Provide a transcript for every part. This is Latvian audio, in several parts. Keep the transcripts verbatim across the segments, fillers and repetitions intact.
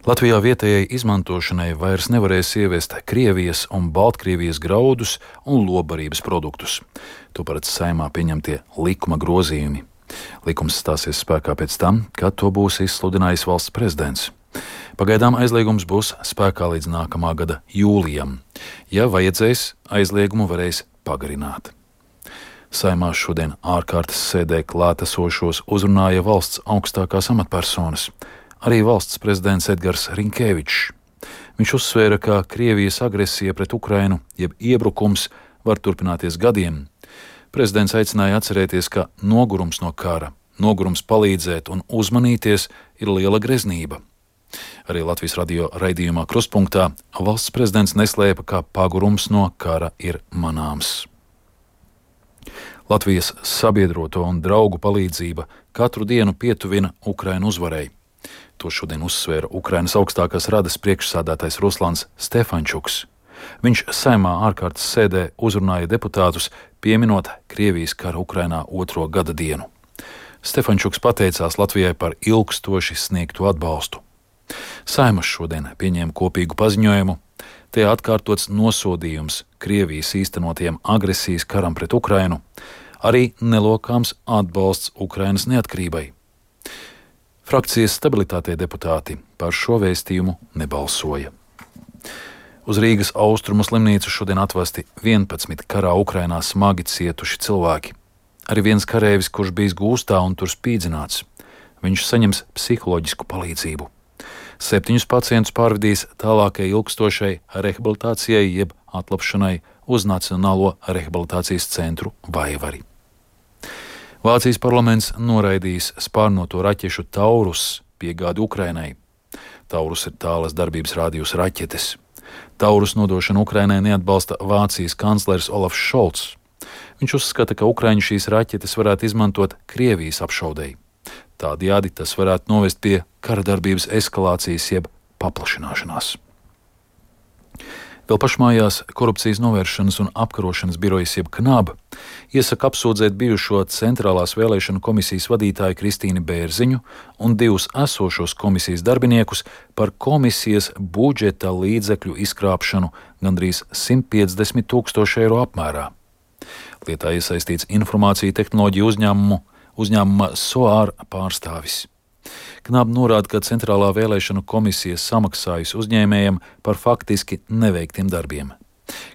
Latvijā vietējai izmantošanai vairs nevarēs ieviest Krievijas un Baltkrievijas graudus un lobarības produktus. To paredz Saeimā pieņemtie likuma grozījumi. Likums stāsies spēkā pēc tam, kad to būs izsludinājis valsts prezidents. Pagaidām aizliegums būs spēkā līdz nākamā gada jūlijam. Ja vajadzēs, aizliegumu varēs pagarināt. Saeimā šodien ārkārtas sēdē klātesošos uzrunāja valsts augstākās amatpersonas. Arī valsts prezidents Edgars Rinkēvičs. Viņš uzsvēra, ka Krievijas agresija pret Ukrainu, jeb iebrukums, var turpināties gadiem. Prezidents aicināja atcerēties, ka nogurums no kara, nogurums palīdzēt un uzmanīties ir liela greznība. Arī Latvijas radio raidījumā Krustpunktā valsts prezidents neslēpa, ka pagurums no kara ir manāms. Latvijas sabiedroto un draugu palīdzība katru dienu pietuvina Ukrainu uzvarai. To šodien uzsvēra Ukrainas augstākās radas priekšsādātais Ruslans Stefančuks. Viņš Saeimā ārkārtas sēdē uzrunāja deputātus, pieminot Krievijas kara Ukrainā otro gada dienu. Stefančuks pateicās Latvijai par ilgstoši sniegto atbalstu. Saeima šodien pieņēma kopīgu paziņojumu. Tajā atkārtots nosodījums Krievijas īstenotiem agresijas karam pret Ukrainu, arī nelokāms atbalsts Ukrainas neatkarībai. Frakcijas stabilitātei deputāti par šo vēstījumu nebalsoja. Uz Rīgas austrumu slimnīcu šodien atvesti vienpadsmit karā Ukrainā smagi cietuši cilvēki. Arī viens kareivis, kurš bijis gūstā un tur spīdzināts. Viņš saņems psiholoģisku palīdzību. Septiņus pacientus pārvedīs tālākai ilgstošai rehabilitācijai jeb atlapšanai uz Nacionālo rehabilitācijas centru Vaivari. Vācijas parlaments noraidījis spārnoto raķešu Taurus piegādi Ukrainai. Taurus ir tālas darbības rādījus raķetes. Taurus nodošanu Ukrainai neatbalsta Vācijas kanclers Olafs Šolts. Viņš uzskata, ka Ukraiņi šīs raķetes varētu izmantot Krievijas apšaudei. Tādējādi tas varētu novest pie kara darbības eskalācijas jeb paplašināšanās. Vēl pašmājās Korupcijas novēršanas un apkarošanas birojas jeb KNAB iesaka apsūdzēt bijušo Centrālās vēlēšanu komisijas vadītāju Kristīni Bērziņu un divus esošos komisijas darbiniekus par komisijas budžeta līdzekļu izkrāpšanu gandrīz simt piecdesmit tūkstošu eiro apmērā. Lietā iesaistīts informāciju tehnoloģiju uzņēmumu, uzņēmuma SOAR pārstāvis. KNAB norāda, ka Centrālā vēlēšanu komisija samaksājusi uzņēmējiem par faktiski neveiktiem darbiem.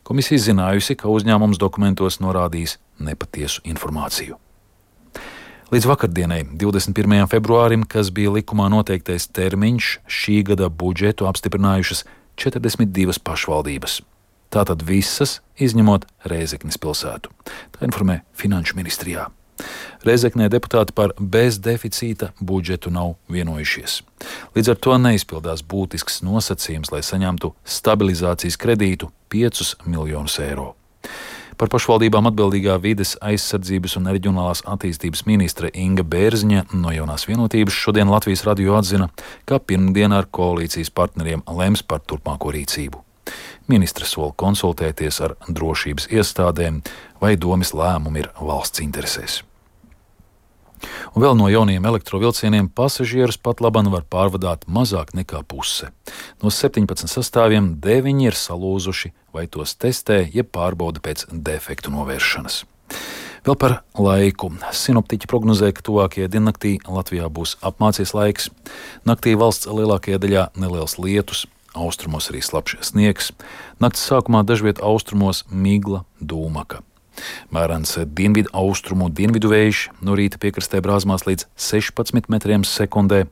Komisija zinājusi, ka uzņēmums dokumentos norādījis nepatiesu informāciju. Līdz vakardienai, divdesmit pirmajam februārim, kas bija likumā noteiktais termiņš, šī gada budžetu apstiprinājušas četrdesmit divas pašvaldības. Tātad visas, izņemot Rēzeknes pilsētu. Tā informē Finanšu ministrijā. Rēzeknē deputāti par bezdeficīta budžetu nav vienojušies. Līdz ar to neizpildās būtisks nosacījums, lai saņemtu stabilizācijas kredītu piecus miljonus eiro. Par pašvaldībām atbildīgā vides aizsardzības un reģionālās attīstības ministre Inga Bērziņa no Jaunās vienotības šodien Latvijas radio atzina, ka pirmdien ar koalīcijas partneriem lems par turpmāko rīcību. Ministre sola konsultēties ar drošības iestādēm, vai domes lēmumi ir valsts interesēs. Un vēl no jauniem elektrovilcieniem pasažierus pat laban var pārvadāt mazāk nekā puse. No septiņpadsmit sastāviem deviņi ir salūzuši, vai tos testē, jeb pārbauda pēc defektu novēršanas. Vēl par laiku. Sinoptiķi prognozē, ka tuvākajā diennaktī Latvijā būs apmācies laiks. Naktī valsts lielākajā daļā neliels lietus, austrumos arī slapjš sniegs. Nakts sākumā dažviet austrumos migla, dūmaka. Mērens dienvidu austrumu dienvidu vējš, no rīta piekrastē brāzmās līdz sešpadsmit metriem sekundē,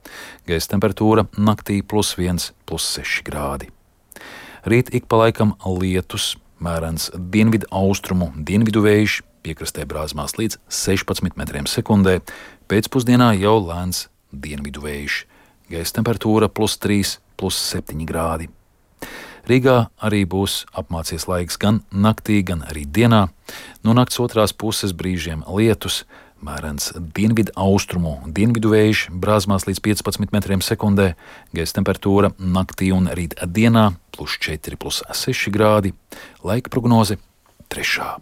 gaisa temperatūra naktī plus viens, plus seši grādi. Rīt ik pa laikam lietus, mērens dienvidu austrumu dienvidu vējš, piekrastē brāzmās līdz sešpadsmit metriem sekundē, pēcpusdienā jau lēns dienvidu vējš, gaisa temperatūra plus trīs, plus septiņi grādi. Rīgā arī būs apmācies laiks gan naktī, gan arī dienā. No nakts otrās puses brīžiem lietus, mērens dienvidu austrumu dienvidu vējš, brāzmās līdz piecpadsmit metriem sekundē, gaisa temperatūra naktī un rīt dienā plus četri, plus seši grādi, laika prognoze trešā.